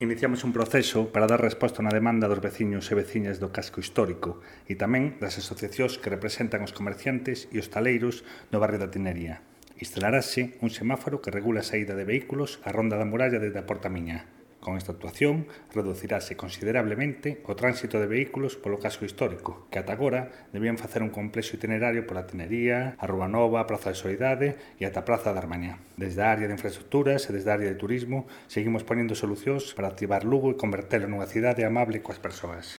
Iniciamos un proceso para dar resposta a unha demanda dos veciños e veciñas do casco histórico e tamén das asociacións que representan os comerciantes e hostaleiros do barrio da Tinería. Instalarase un semáforo que regula a saída de vehículos á ronda da muralla desde a Porta Miñá. Con esta actuación, reducirase considerablemente o tránsito de vehículos polo casco histórico, que ata agora debían facer un complexo itinerario pola Tinería, a Rúa Nova, a Praza de Soidade e ata a Praza da Armañá. Desde a área de infraestructuras e desde a área de turismo, seguimos ponendo solucións para activar Lugo e convertelo nunha cidade amable coas persoas.